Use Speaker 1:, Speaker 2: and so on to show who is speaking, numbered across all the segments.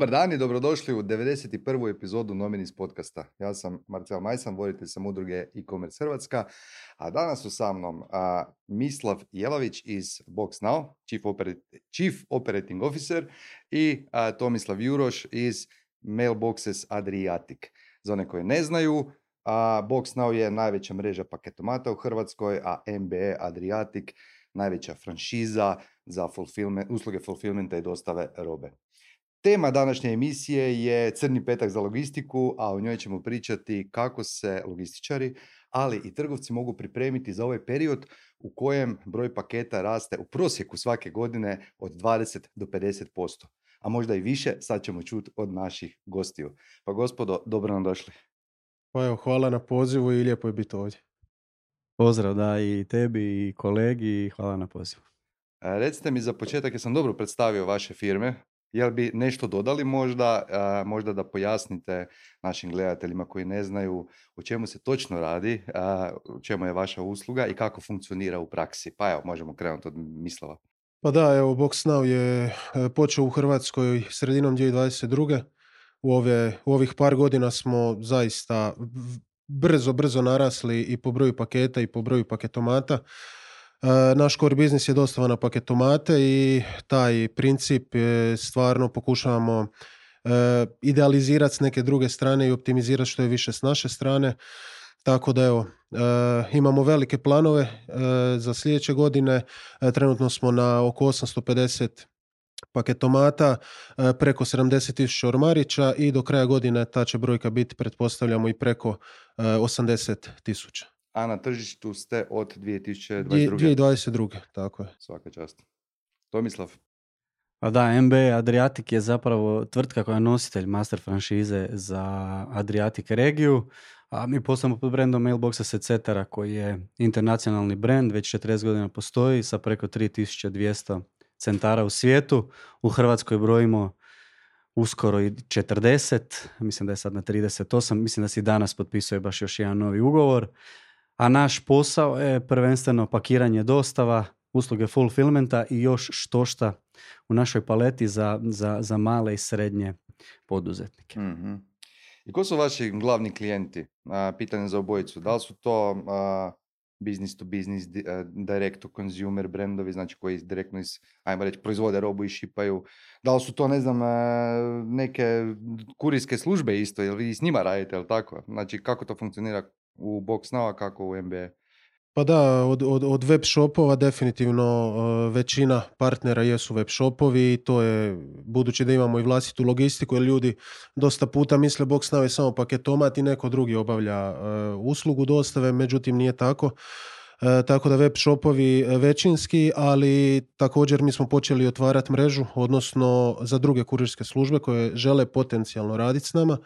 Speaker 1: Dobar dan i dobrodošli u 91. epizodu Nominis podcasta. Ja sam Marcel Majsan, voditelj sam udruge e-commerce Hrvatska, a danas su sa mnom Mislav Jelavić iz BoxNow, Chief Operating Officer i Tomislav Juroš iz Mailboxes Adriatic. Za one koji ne znaju, BoxNow je najveća mreža paketomata u Hrvatskoj, a MBA Adriatic najveća franšiza za usluge fulfillmenta i dostave robe. Tema današnje emisije je Crni petak za logistiku, a u njoj ćemo pričati kako se logističari, ali i trgovci mogu pripremiti za ovaj period u kojem broj paketa raste u prosjeku svake godine od 20 do 50%, a možda i više. Sad ćemo čuti od naših gostiju. Pa gospodo, dobro nam došli.
Speaker 2: Pa evo, hvala na pozivu i lijepo je biti ovdje.
Speaker 3: Pozdrav da i tebi i kolegi i hvala na pozivu.
Speaker 1: Recite mi za početak, jesam dobro predstavio vaše firme? Jel bi nešto dodali možda da pojasnite našim gledateljima koji ne znaju o čemu se točno radi, o čemu je vaša usluga i kako funkcionira u praksi? Pa evo, možemo krenuti od Mislava.
Speaker 2: Pa da, evo, BoxNow je počeo u Hrvatskoj sredinom 2022. U ovih par godina smo zaista brzo narasli i po broju paketa i po broju paketomata. Naš core biznis je dostava na paketomate i taj princip stvarno pokušavamo idealizirati s neke druge strane i optimizirati što je više s naše strane. Tako da evo, imamo velike planove za sljedeće godine. Trenutno smo na oko 850 paketomata, preko 70.000 ormarića i do kraja godine ta će brojka biti, pretpostavljamo, i preko 80.000.
Speaker 1: A na tržištu ste od 2022.
Speaker 2: 2022. Tako je.
Speaker 1: Svaka čast. Tomislav.
Speaker 3: Pa da, MBA Adriatic je zapravo tvrtka koja je nositelj master franšize za Adriatic regiju, a mi poslujemo pod brandom Mailboxes etc. koji je internacionalni brand, već 40 godina postoji sa preko 3200 centara u svijetu. U Hrvatskoj brojimo uskoro i 40, mislim da je sad na 38, mislim da se i danas potpisuje baš još jedan novi ugovor. A naš posao je prvenstveno pakiranje dostava, usluge fulfillmenta i još štošta u našoj paleti za male i srednje poduzetnike.
Speaker 1: Mm-hmm. I ko su vaši glavni klijenti? Pitanje za obojicu. Da li su to business to business, direct to consumer brandovi, znači koji direktno ajmo reći, proizvode robu i šipaju? Da li su to, ne znam, neke kurirske službe isto, ili vi s njima radite, ili tako? Znači, kako to funkcionira u BoxNow, a kako u MBA?
Speaker 2: Pa da, od web shopova definitivno većina partnera jesu web shopovi i to je, budući da imamo i vlastitu logistiku, jer ljudi dosta puta misle BoxNow je samo paketomat i neko drugi obavlja uslugu dostave, međutim nije tako. Tako da web shopovi većinski, ali također mi smo počeli otvarati mrežu, odnosno za druge kurirske službe koje žele potencijalno raditi s nama.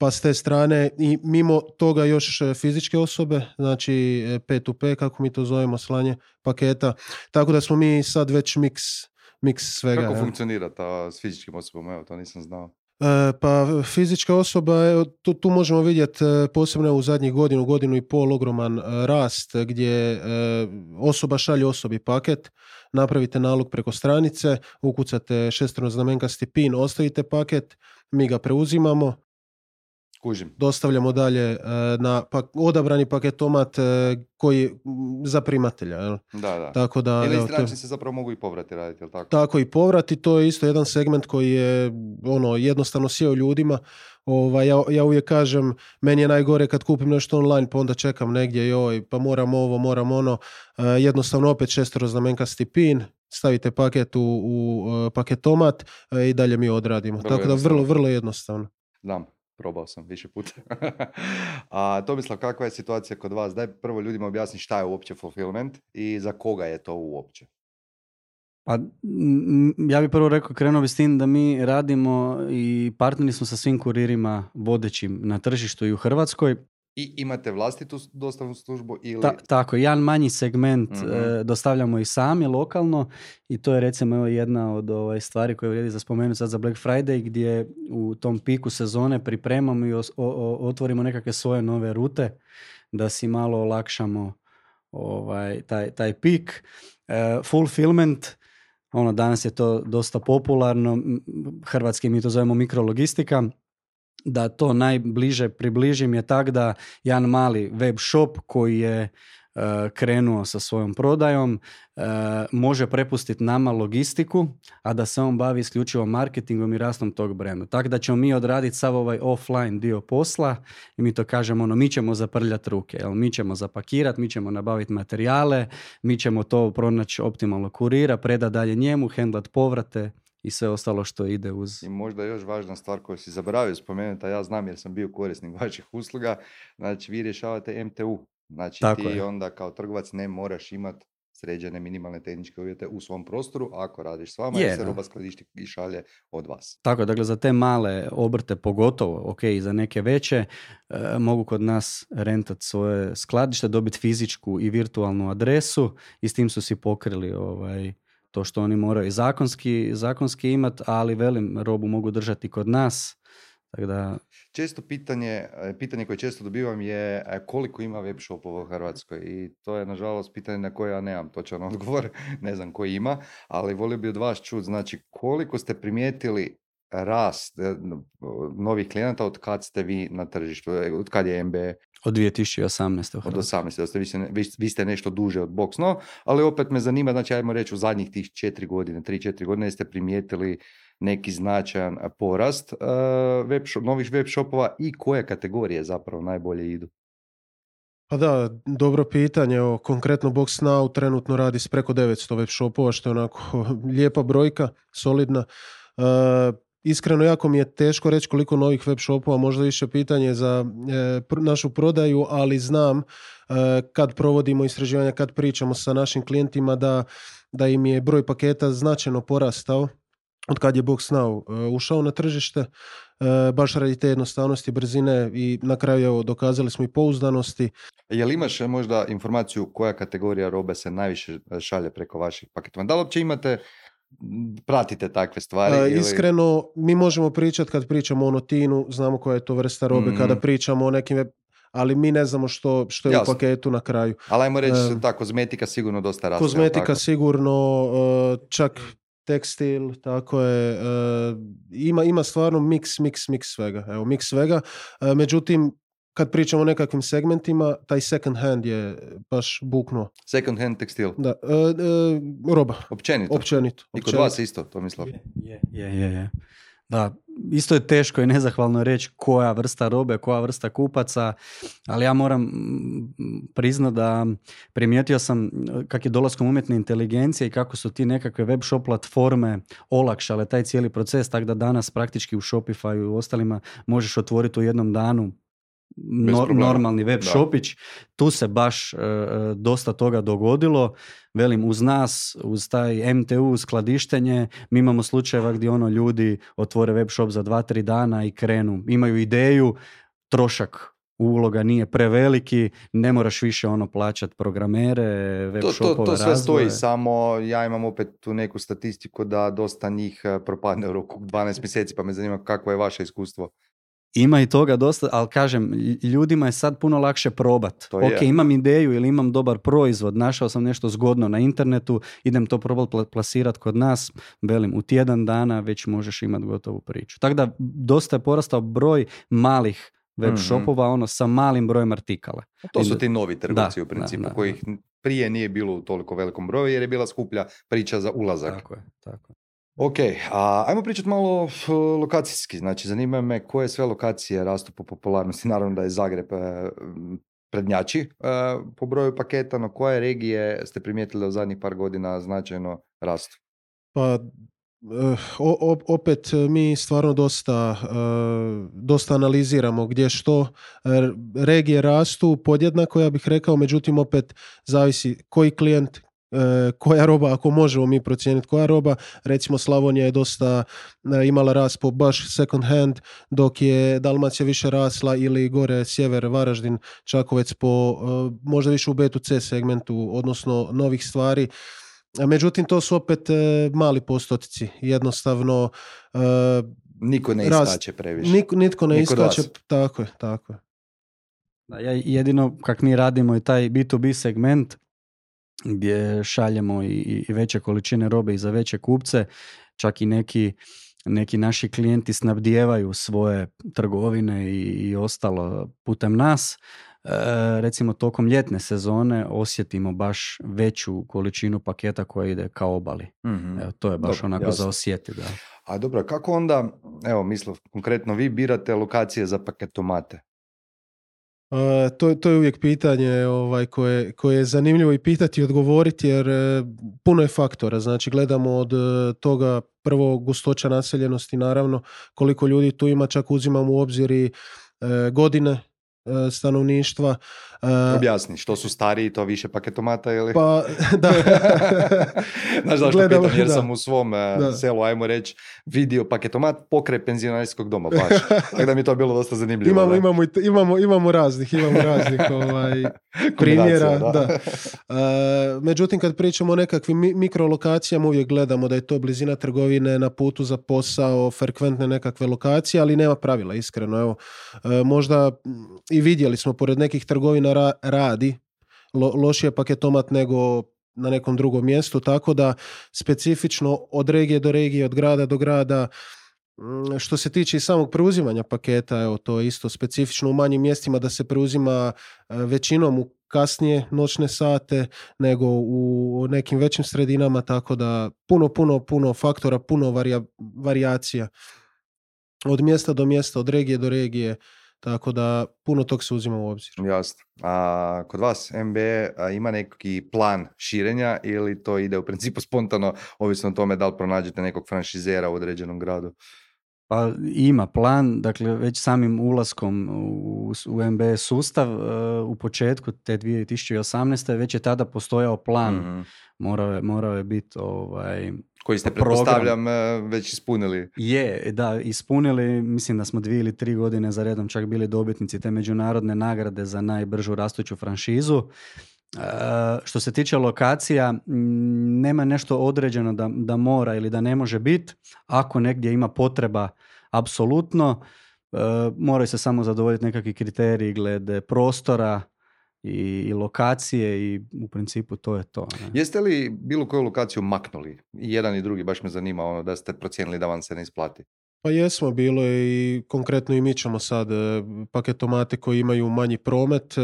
Speaker 2: Pa s te strane i mimo toga još fizičke osobe, znači P2P, kako mi to zovemo, slanje paketa. Tako da smo mi sad već miks svega.
Speaker 1: Kako funkcionira ta s fizičkim osobama? Evo, to nisam znao.
Speaker 2: Pa fizička osoba, tu možemo vidjeti posebno u zadnjih godinu i pol ogroman rast gdje osoba šalje osobi paket, napravite nalog preko stranice, ukucate šestroznamenkasti PIN, ostavite paket, mi ga preuzimamo,
Speaker 1: kužim,
Speaker 2: dostavljamo dalje na odabrani paketomat koji za primatelja. Jel?
Speaker 1: Da.
Speaker 2: Tako da,
Speaker 1: ili isti način se zapravo mogu i povrati raditi, jel tako?
Speaker 2: Tako i povrati, to je isto jedan segment koji je jednostavno sjeo ljudima. Ja uvijek kažem, meni je najgore kad kupim nešto online, pa onda čekam negdje, pa moram ovo, moram ono. Jednostavno opet šestroznamenkasti PIN, stavite paket u paketomat i dalje mi odradimo. Tako da vrlo jednostavno.
Speaker 1: Da. Probao sam više puta. A Tomislav, kakva je situacija kod vas? Daj prvo ljudima objasni šta je uopće fulfillment i za koga je to uopće.
Speaker 3: Pa ja bih prvo krenuo bi s tim da mi radimo i partneri smo sa svim kuririma vodećim na tržištu i u Hrvatskoj.
Speaker 1: I imate vlastitu dostavnu službu ili...
Speaker 3: Tako, jedan manji segment dostavljamo i sami lokalno i to je recimo jedna od stvari koje vrijedi za spomenuti sad za Black Friday, gdje u tom piku sezone pripremamo i otvorimo nekakve svoje nove rute da si malo olakšamo taj pik. Fulfillment danas je to dosta popularno, hrvatski mi to zovemo mikrologistika, da to najbliže približim je tak da jedan mali web shop koji je krenuo sa svojom prodajom, može prepustiti nama logistiku, a da se on bavi isključivo marketingom i rastom tog brenda. Tako da ćemo mi odraditi sav ovaj offline dio posla i mi to kažemo, mi ćemo zaprljati ruke, mi ćemo zapakirati, mi ćemo nabaviti materijale, mi ćemo to pronaći optimalno kurira, predati dalje njemu, hendlat povrate i sve ostalo što ide uz.
Speaker 1: I možda još važna stvar koju si zaboravio spomenuti, a ja znam jer sam bio korisnik vaših usluga, znači vi rješavate MTU. Znači
Speaker 3: Tako
Speaker 1: ti
Speaker 3: je.
Speaker 1: onda kao trgovac ne moraš imati sređene minimalne tehničke uvjete u svom prostoru, ako radiš s vama i se roba skladišti i šalje od vas.
Speaker 3: Tako, dakle za te male obrte pogotovo, ok, i za neke veće, mogu kod nas rentati svoje skladište, dobiti fizičku i virtualnu adresu i s tim su si pokrili to što oni moraju zakonski imati, ali velim, robu mogu držati kod nas. Tako da...
Speaker 1: Često pitanje koje često dobivam je koliko ima web shopova u Hrvatskoj i to je nažalost pitanje na koje ja nemam točan odgovor, ne znam koji ima, ali volio bi od vas čuti, znači koliko ste primijetili rast novih klijenata od kad ste vi na tržištu, od kad je MBA?
Speaker 3: Od 2018.
Speaker 1: Od 18. Vi ste nešto duže od BoxNow, ali opet me zanima, znači ajmo reći u zadnjih tih 3-4 godine ste primijetili neki značajan porast novih web shopova i koje kategorije zapravo najbolje idu?
Speaker 2: Pa da, dobro pitanje. Evo, konkretno BoxNow trenutno radi s preko 900 web shopova, što je onako lijepa brojka, solidna. Iskreno, jako mi je teško reći koliko novih web shopova, možda više pitanje za našu prodaju, ali znam kad provodimo istraživanja, kad pričamo sa našim klijentima da im je broj paketa značajno porastao od kad je BoxNow ušao na tržište, baš radi te jednostavnosti, brzine i na kraju dokazali smo i pouzdanosti.
Speaker 1: Jel imaš možda informaciju koja kategorija robe se najviše šalje preko vaših paketova? Da li uopće pratite takve stvari?
Speaker 2: Iskreno, mi možemo pričati kad pričamo o Notinu, znamo koja je to vrsta robe, kada pričamo o nekim ali mi ne znamo što je jasno u paketu na kraju.
Speaker 1: Ali ajmo reći, ta kozmetika sigurno dosta raste.
Speaker 2: Kozmetika sigurno, čak tekstil, tako je, ima stvarno mix svega. Evo, mix svega. Međutim, kad pričamo o nekakvim segmentima, taj second hand je baš buknuo.
Speaker 1: Second hand tekstil?
Speaker 2: Da, roba.
Speaker 1: Općenito. I kod vas isto, to mislim.
Speaker 3: Je. Da, isto je teško i nezahvalno reći koja vrsta robe, koja vrsta kupaca, ali ja moram priznati da primijetio sam kak je dolaskom umjetne inteligencije i kako su ti nekakve web shop platforme olakšale taj cijeli proces, tako da danas praktički u Shopify i u ostalima možeš otvoriti u jednom danu normalni web shopić. Tu se baš dosta toga dogodilo. Velim, uz nas, uz taj MTU skladištenje, mi imamo slučajeva gdje ljudi otvore web shop za 2-3 dana i krenu. Imaju ideju, trošak uloga nije preveliki, ne moraš više plaćati programere, web shopove,
Speaker 1: to sve stoji, samo ja imam opet tu neku statistiku da dosta njih propadne u roku 12 mjeseci, pa me zanima kako je vaše iskustvo.
Speaker 3: Ima i toga dosta, ali kažem, ljudima je sad puno lakše probat. Ok, imam ideju ili imam dobar proizvod, našao sam nešto zgodno na internetu, idem to probati plasirati kod nas, velim, u tjedan dana već možeš imati gotovu priču. Tako da dosta je porastao broj malih web shopova, sa malim brojem artikala.
Speaker 1: To su ti novi trgovci u principu, kojih prije nije bilo u toliko velikom broju jer je bila skuplja priča za ulazak.
Speaker 3: Tako je.
Speaker 1: Ok, ajmo pričati malo lokacijski. Znači, zanima me koje sve lokacije rastu po popularnosti. Naravno da je Zagreb prednjači po broju paketa, no koje regije ste primijetili u zadnjih par godina značajno rastu?
Speaker 2: Pa, opet mi stvarno dosta analiziramo gdje što. Regije rastu podjednako, ja bih rekao, međutim opet zavisi koji klijent, koja roba, ako možemo mi procijeniti koja roba. Recimo Slavonija je dosta imala rast po baš second hand, dok je Dalmacija više rasla ili gore sjever, Varaždin, Čakovec po možda više u B2C segmentu, odnosno novih stvari. Međutim, to su opet mali postotici. Jednostavno
Speaker 1: niko ne iskače previše.
Speaker 2: Nitko ne iskače, tako je.
Speaker 3: Da, jedino kak mi radimo i taj B2B segment, gdje šaljemo i veće količine robe i za veće kupce, čak i neki naši klijenti snabdijevaju svoje trgovine i ostalo putem nas. Recimo tokom ljetne sezone osjetimo baš veću količinu paketa koja ide ka obali. Evo, to je baš
Speaker 1: Dobro,
Speaker 3: onako
Speaker 1: jasno.
Speaker 3: za osjetiti. Da.
Speaker 1: A dobro, kako onda, evo Mislav, konkretno vi birate lokacije za paketomate?
Speaker 2: To je uvijek pitanje koje je zanimljivo i pitati i odgovoriti, jer puno je faktora. Znači, gledamo od toga prvo gustoća naseljenosti, naravno, koliko ljudi tu ima, čak uzimamo u obzir i godine stanovništva.
Speaker 1: Objasni, što su stariji, to više paketomata ili?
Speaker 2: Pa, da.
Speaker 1: Znaš zašto
Speaker 2: Gledamo,
Speaker 1: pitam, jer
Speaker 2: da.
Speaker 1: sam u svom selu, ajmo reći, vidio paketomat pokraj penzionerskog doma, baš. Tako da mi je to bilo dosta zanimljivo.
Speaker 2: Imamo raznih primjera. Da. Međutim, kad pričamo o nekakvim mikrolokacijama, uvijek gledamo da je to blizina trgovine, na putu za posao, frekventne nekakve lokacije, ali nema pravila, iskreno. Evo, možda i vidjeli smo, pored nekih trgovina radi lošije paketomat nego na nekom drugom mjestu, tako da specifično od regije do regije, od grada do grada. Što se tiče i samog preuzimanja paketa, evo, to je isto specifično u manjim mjestima da se preuzima većinom u kasnije noćne sate nego u nekim većim sredinama, tako da puno faktora, puno varijacija od mjesta do mjesta, od regije do regije, tako da puno tog se uzima u obzir.
Speaker 1: Jasno. A kod vas MBE ima neki plan širenja ili to ide u principu spontano, ovisno o tome da li pronađete nekog franšizera u određenom gradu?
Speaker 3: Pa ima plan, dakle već samim ulaskom u MBE sustav u početku te 2018. već je tada postojao plan.
Speaker 1: Mm-hmm.
Speaker 3: Morao je biti
Speaker 1: koji ste, pretpostavljam, već ispunili.
Speaker 3: Da, ispunili. Mislim da smo 2 ili 3 godine za redom čak bili dobitnici te međunarodne nagrade za najbržu rastuću franšizu. Što se tiče lokacija, nema nešto određeno da mora ili da ne može biti. Ako negdje ima potreba, apsolutno, moraju se samo zadovoljiti nekakvi kriteriji glede prostora i lokacije i u principu to je to. Ne?
Speaker 1: Jeste li bilo koju lokaciju maknuli? I jedan i drugi, baš me zanima da ste procijenili da vam se ne isplati.
Speaker 2: Pa jesmo, bilo je i konkretno i mi ćemo sad paketomate koji imaju manji promet,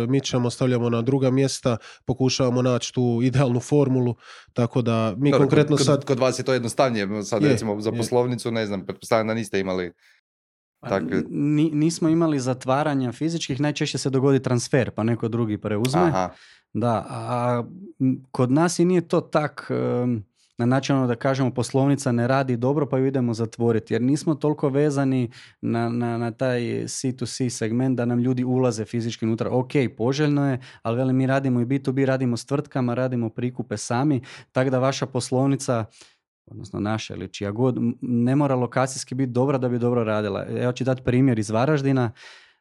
Speaker 2: mi ćemo, stavljamo na druga mjesta, pokušavamo naći tu idealnu formulu, tako da mi konkretno sad...
Speaker 1: Kod vas je to jednostavnije, sad recimo za poslovnicu, ne znam, pretpostavljam da niste imali...
Speaker 3: Nismo imali zatvaranja fizičkih, najčešće se dogodi transfer, pa neko drugi preuzme.
Speaker 1: Aha.
Speaker 3: Da, a kod nas i nije to tak... na način da kažemo poslovnica ne radi dobro pa ju idemo zatvoriti, jer nismo toliko vezani na taj C2C segment da nam ljudi ulaze fizički unutra. Ok, poželjno je, ali veli, mi radimo i B2B, radimo s tvrtkama, radimo prikupe sami, tako da vaša poslovnica, odnosno naša ili čija god, ne mora lokacijski biti dobra da bi dobro radila. Evo ću dati primjer iz Varaždina.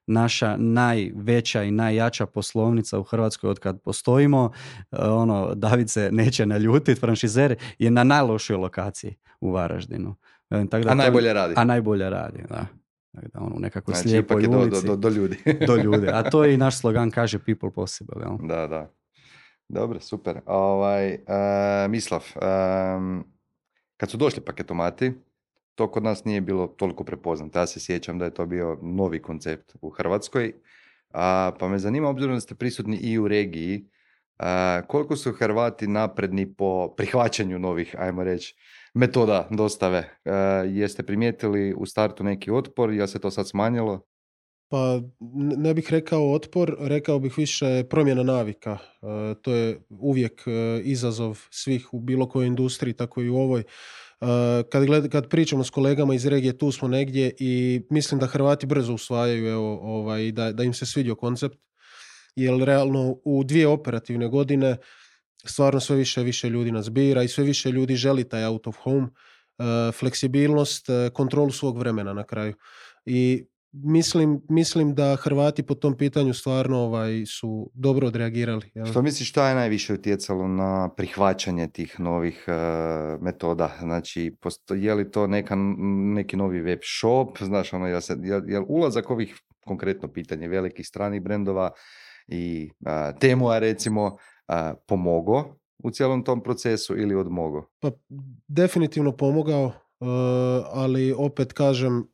Speaker 3: Naša najveća i najjača poslovnica u Hrvatskoj od kad postojimo, David se neće naljutiti, franšizer je na najlošoj lokaciji u Varaždinu.
Speaker 1: A najbolje radi.
Speaker 3: A najbolje radi, da. U nekakvoj
Speaker 1: znači,
Speaker 3: slijepoj ulici.
Speaker 1: Do ljudi.
Speaker 3: Do ljudi. A to je i naš slogan, kaže people possible. Jel?
Speaker 1: Da. Dobro, super. Mislav, kad su došli paketomati, to kod nas nije bilo toliko prepoznato. Ja se sjećam da je to bio novi koncept u Hrvatskoj. Pa me zanima, obzirom da ste prisutni i u regiji, koliko su Hrvati napredni po prihvaćanju novih, ajmo reći, metoda dostave. Jeste primijetili u startu neki otpor, jel se to sad smanjilo?
Speaker 2: Pa ne bih rekao otpor, rekao bih više promjena navika. To je uvijek izazov svih u bilo kojoj industriji, tako i u ovoj. Kad pričamo s kolegama iz regije, tu smo negdje i mislim da Hrvati brzo usvajaju da im se svidio koncept, jer realno u 2 operativne godine stvarno sve više ljudi nas bira i sve više ljudi želi taj out of home, fleksibilnost, kontrolu svog vremena na kraju. I mislim da Hrvati po tom pitanju stvarno su dobro odreagirali. Jel?
Speaker 1: Što misliš, šta je najviše utjecalo na prihvaćanje tih novih metoda? Znači, je li to neki novi web shop? Znaš, jel ulazak ovih, konkretno pitanje, velikih stranih brendova i Temua recimo, pomogao u cijelom tom procesu ili odmogao?
Speaker 2: Pa definitivno pomogao, ali opet kažem,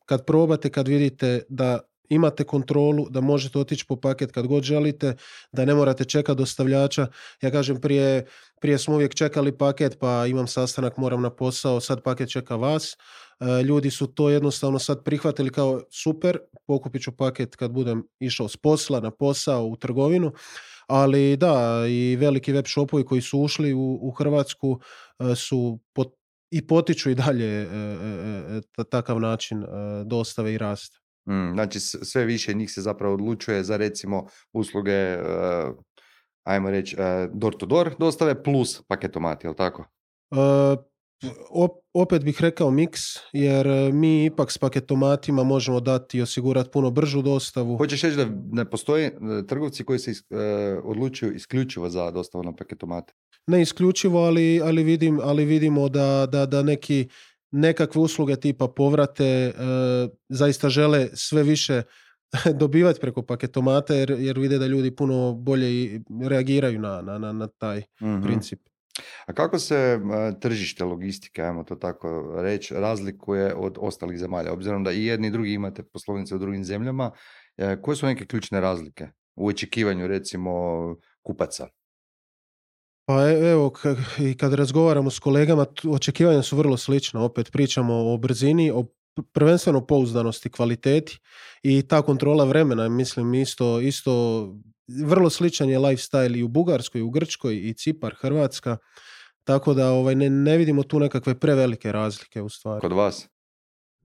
Speaker 2: kad probate, kad vidite da imate kontrolu, da možete otići po paket kad god želite, da ne morate čekati dostavljača. Ja kažem, prije smo uvijek čekali paket, pa imam sastanak, moram na posao, sad paket čeka vas. Ljudi su to jednostavno sad prihvatili kao super, pokupit ću paket kad budem išao s posla, na posao, u trgovinu. Ali da, i veliki web shopovi koji su ušli u Hrvatsku su i potiču i dalje takav način dostave i rasta.
Speaker 1: Znači sve više njih se zapravo odlučuje za recimo usluge, ajmo reći, door to door dostave plus paketomati, jel tako?
Speaker 2: Opet bih rekao miks, jer mi ipak s paketomatima možemo dati i osigurati puno bržu dostavu.
Speaker 1: Hoćeš reći da ne postoje trgovci koji se odlučuju isključivo za dostavu na paketomate?
Speaker 2: Ne isključivo, ali vidimo da nekakve usluge tipa povrate zaista žele sve više dobivati preko paketomata, jer vide da ljudi puno bolje reagiraju na taj princip.
Speaker 1: A kako se tržište logistike, ajmo to tako reći, razlikuje od ostalih zemalja? Obzirom da i jedni i drugi imate poslovnice u drugim zemljama, koje su neke ključne razlike u očekivanju recimo kupaca?
Speaker 2: Pa evo, i kad razgovaramo s kolegama, očekivanja su vrlo slična. Opet pričamo o brzini, o prvenstveno pouzdanosti, kvaliteti i ta kontrola vremena, mislim isto vrlo sličan je lifestyle i u Bugarskoj, i u Grčkoj, i Cipar, Hrvatska, tako da ne vidimo tu nekakve prevelike razlike u stvari.
Speaker 1: Kod vas?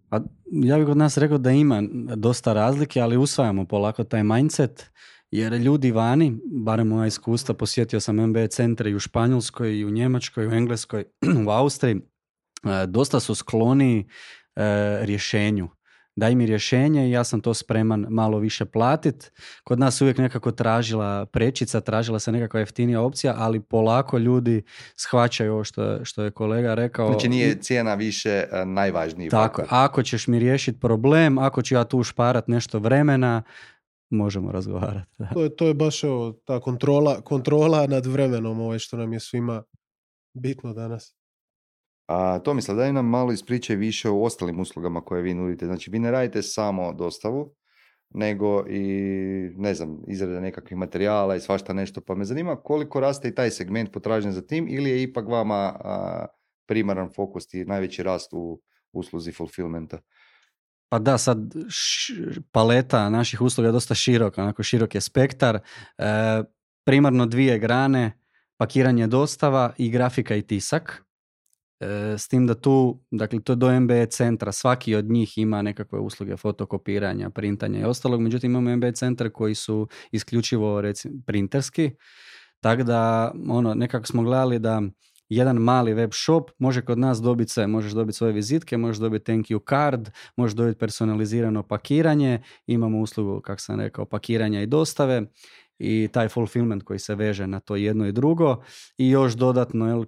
Speaker 3: Pa, ja bih kod nas rekao da ima dosta razlike, ali usvajamo polako taj mindset, jer ljudi vani, barem moja iskustva, posjetio sam MBA centre i u Španjolskoj, i u Njemačkoj, i u Engleskoj, u Austriji, dosta su skloni rješenju. Daj mi rješenje i ja sam to spreman malo više platiti. Kod nas uvijek nekako tražila prečica, tražila se nekakva jeftinija opcija, ali polako ljudi shvaćaju ovo što je kolega rekao.
Speaker 1: Znači nije cijena više najvažniji
Speaker 3: tako,
Speaker 1: faktor.
Speaker 3: Ako ćeš mi riješiti problem, ako ću ja tu ušparat nešto vremena, možemo razgovarati.
Speaker 2: To je baš ta kontrola nad vremenom, što nam je svima bitno danas.
Speaker 1: Tomislav, daj nam malo ispričaj više o ostalim uslugama koje vi nudite. Znači, vi ne radite samo dostavu, nego i, ne znam, izrada nekakvih materijala i svašta nešto. Pa me zanima koliko raste i taj segment potražnje za tim ili je ipak vama primaran fokus i najveći rast u usluzi fulfillmenta?
Speaker 3: Pa da, sad paleta naših usluga je dosta široka, onako širok je spektar. Primarno 2 grane, pakiranje, dostava i grafika i tisak. S tim da tu, dakle to je do MBA centra, svaki od njih ima nekakve usluge fotokopiranja, printanja i ostalog, međutim imamo MBA centre koji su isključivo recimo printerski, tako da nekako smo gledali da jedan mali web shop može kod nas dobiti sve, možeš dobiti svoje vizitke, možeš dobiti thank you card, možeš dobiti personalizirano pakiranje, imamo uslugu, kako sam rekao, pakiranja i dostave i taj fulfillment koji se veže na to jedno i drugo i još dodatno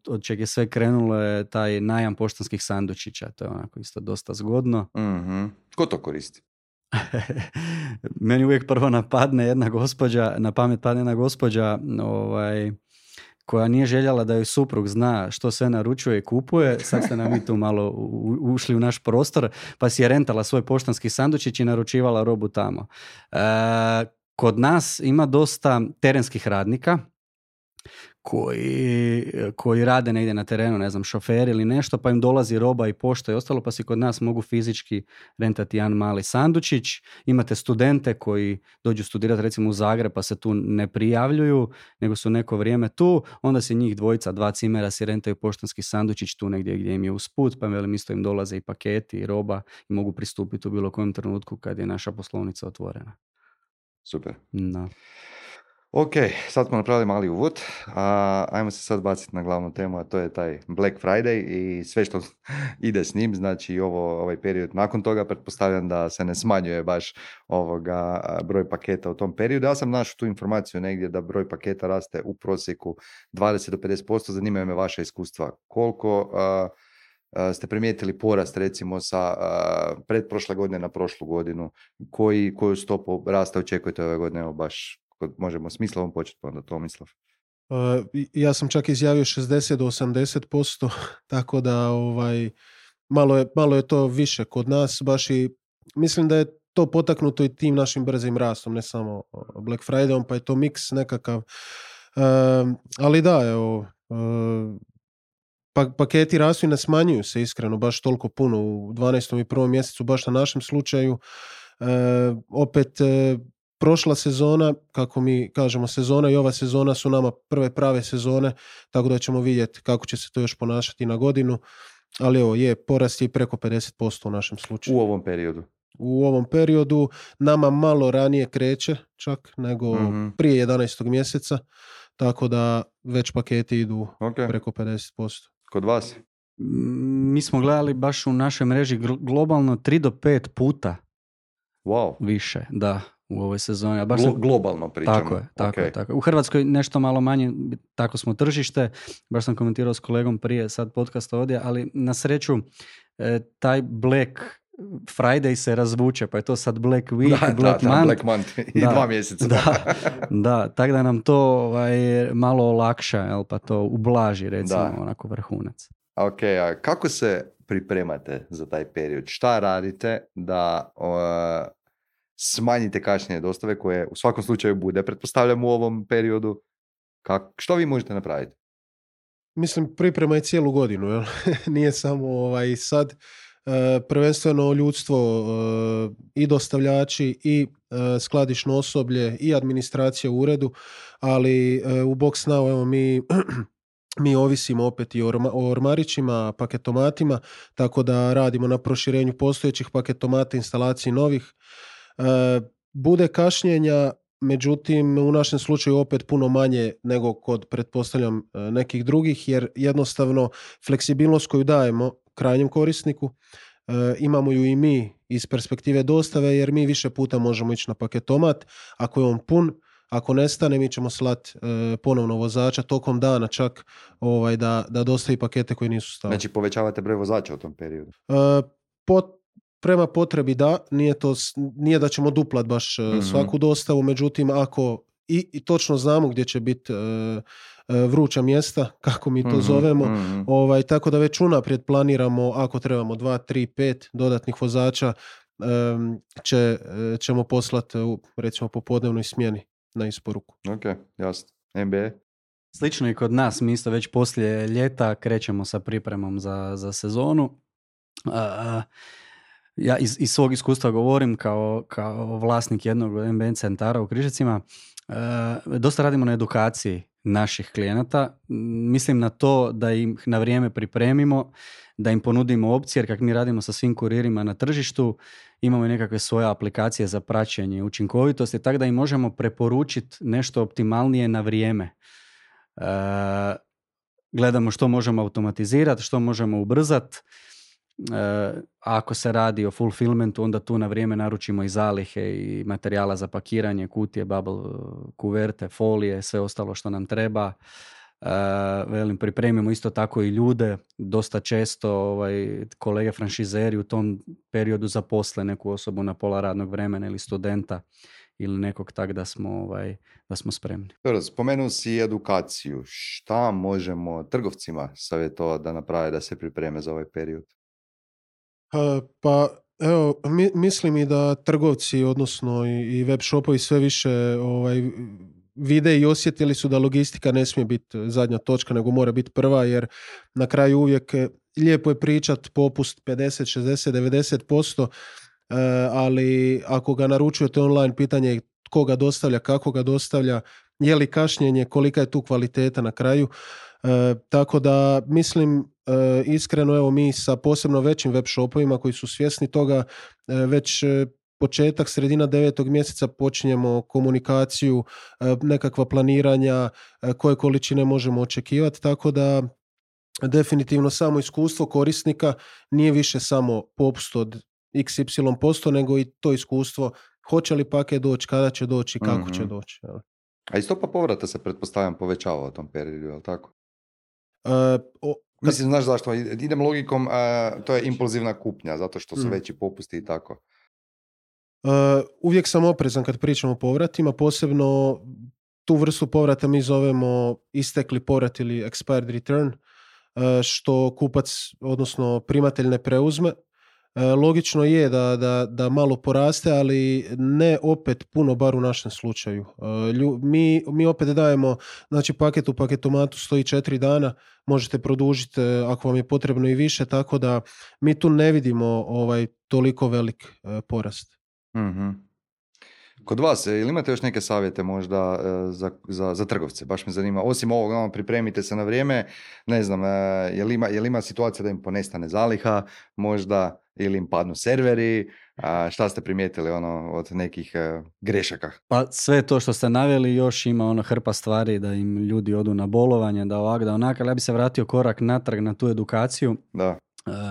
Speaker 3: od čeg je sve krenulo je taj najam poštanskih sandučića, to je onako isto dosta zgodno.
Speaker 1: Mm-hmm. Ko to koristi?
Speaker 3: Meni uvijek prvo na pamet padne jedna gospođa koja nije željela da joj suprug zna što sve naručuje i kupuje. Sad ste nam mi tu malo ušli u naš prostor, pa si je rentala svoj poštanski sandučić i naručivala robu tamo. Kod nas ima dosta terenskih radnika koji rade negdje na terenu, ne znam, šoferi ili nešto, pa im dolazi roba i pošta i ostalo, pa si kod nas mogu fizički rentati jedan mali sandučić. Imate studente koji dođu studirati recimo u Zagreb, pa se tu ne prijavljuju, nego su neko vrijeme tu, onda se njih 2 cimera si rentaju poštanski sandučić tu negdje gdje im je usput, pa velim isto im dolaze i paketi i roba i mogu pristupiti u bilo kojem trenutku kad je naša poslovnica otvorena.
Speaker 1: Super.
Speaker 3: No.
Speaker 1: Ok, sad smo napravili mali uvod, ajmo se sad baciti na glavnu temu, a to je taj Black Friday i sve što ide s njim, znači ovaj period nakon toga, pretpostavljam da se ne smanjuje baš broj paketa u tom periodu. Ja sam našao tu informaciju negdje da broj paketa raste u prosjeku 20 do 50%, zanimaju me vaša iskustva. Koliko ste primijetili porast recimo sa pretprošle godine na prošlu godinu, koju stopu rasta očekujete ove godine, evo baš možemo s Mislavom početi, pa onda Tomislav.
Speaker 2: Ja sam čak izjavio 60 do 80%, tako da malo je to više kod nas, baš i mislim da je to potaknuto i tim našim brzim rastom, ne samo Black Fridayom, pa je to miks nekakav. Ali da, evo, paketi rastu i ne smanjuju se iskreno baš toliko puno u 12. i 1. mjesecu, baš na našem slučaju. Opet prošla sezona, kako mi kažemo sezona, i ova sezona su nama prve prave sezone, tako da ćemo vidjeti kako će se to još ponašati na godinu, ali evo, porast je preko 50% u našem slučaju. U ovom periodu nama malo ranije kreće čak nego prije 11. mjeseca, tako da već paketi idu preko 50%.
Speaker 1: Kod vas?
Speaker 3: Mi smo gledali baš u našoj mreži globalno 3 do 5 puta više, da, u ovoj sezoni. A baš
Speaker 1: globalno pričamo.
Speaker 3: Tako je. U Hrvatskoj nešto malo manje, tako smo tržište, baš sam komentirao s kolegom prije sad podcasta ovdje, ali na sreću taj Black Friday se razvuče, pa je to sad Black Week,
Speaker 1: Black Month i 2 mjeseca.
Speaker 3: Da, tako da nam to malo olakša, jel, pa to ublaži, recimo, onako vrhunac.
Speaker 1: Ok, a kako se pripremate za taj period? Šta radite da smanjite kašnjenje dostave koje u svakom slučaju bude, pretpostavljam, u ovom periodu? Što vi možete napraviti?
Speaker 2: Mislim, priprema je cijelu godinu, jel? Nije samo sad. Prvenstveno ljudstvo i dostavljači i skladišno osoblje i administracija u uredu, ali u Box Now evo mi ovisimo opet i o ormarićima, paketomatima, tako da radimo na proširenju postojećih paketomata, instalaciji novih. Bude kašnjenja, međutim u našem slučaju opet puno manje nego kod, pretpostavljam, nekih drugih, jer jednostavno fleksibilnost koju dajemo krajnjem korisniku imamo ju i mi iz perspektive dostave, jer mi više puta možemo ići na paketomat. Ako je on pun, ako nestane, mi ćemo slati ponovno vozača tokom dana čak da dostavi pakete koji nisu stavili.
Speaker 1: Znači povećavate broj vozača u tom periodu?
Speaker 2: Prema potrebi da, nije da ćemo duplat baš svaku dostavu, međutim ako i točno znamo gdje će biti vruća mjesta, kako mi to zovemo, tako da već unaprijed planiramo, ako trebamo 2, 3, 5 dodatnih vozača, ćemo poslati recimo popodnevnoj smjeni na isporuku.
Speaker 1: Ok, jasno. NBA?
Speaker 3: Slično i kod nas, mi isto već poslije ljeta krećemo sa pripremom za sezonu. Ja iz svog iskustva govorim kao vlasnik jednog MBN centara u Križevcima. Dosta radimo na edukaciji naših klijenata. Mislim na to da im na vrijeme pripremimo, da im ponudimo opcije, jer kako mi radimo sa svim kuririma na tržištu, imamo i nekakve svoje aplikacije za praćenje učinkovitosti, tako da im možemo preporučiti nešto optimalnije na vrijeme. Gledamo što možemo automatizirati, što možemo ubrzati. Ako se radi o fulfillmentu, onda tu na vrijeme naručimo i zalihe i materijala za pakiranje, kutije, bubble, kuverte, folije, sve ostalo što nam treba. Pripremimo isto tako i ljude. Dosta često kolege franšizeri u tom periodu zaposle neku osobu na pola radnog vremena ili studenta ili nekog, tak da smo spremni.
Speaker 1: Spomenuo si edukaciju. Šta možemo trgovcima savjetovati da naprave da se pripreme za ovaj period?
Speaker 2: Pa evo, mislim i da trgovci, odnosno i web shopovi sve više vide i osjetili su da logistika ne smije biti zadnja točka, nego mora biti prva, jer na kraju uvijek lijepo je pričat popust 50, 60, 90%, ali ako ga naručujete online, pitanje je tko ga dostavlja, kako ga dostavlja, je li kašnjenje, kolika je tu kvaliteta na kraju. Tako da mislim iskreno, evo mi sa posebno većim web shopovima koji su svjesni toga, već početak, sredina 9. mjeseca počinjemo komunikaciju, nekakva planiranja, koje količine možemo očekivati, tako da definitivno samo iskustvo korisnika nije više samo popust od XY%, nego i to iskustvo hoće li paket doći, kada će doći, kako će doći.
Speaker 1: A i stopa povrata se pretpostavljam povećava u tom periodu, je li tako? Mislim, znaš zašto? Idem logikom, to je impulzivna kupnja, zato što su veći popusti i tako.
Speaker 2: Uvijek sam oprezan kad pričam o povratima, posebno tu vrstu povrata mi zovemo istekli povrat ili expired return, što kupac, odnosno primatelj ne preuzme. Logično je da malo poraste, ali ne opet puno, bar u našem slučaju. Mi opet dajemo, znači paket u paketomatu stoji 4 dana, možete produžiti ako vam je potrebno i više, tako da mi tu ne vidimo toliko velik porast.
Speaker 1: Mm-hmm. Kod vas, ili imate još neke savjete možda za trgovce? Baš me zanima, osim ovog, pripremite se na vrijeme, ne znam, je li ima situacija da im ponestane zaliha možda, ili im padnu serveri, šta ste primijetili od nekih grešaka?
Speaker 3: Pa sve to što ste naveli, još ima hrpa stvari da im ljudi odu na bolovanje, da ovak, da onak, ali ja bi se vratio korak natrag na tu edukaciju.
Speaker 1: Da.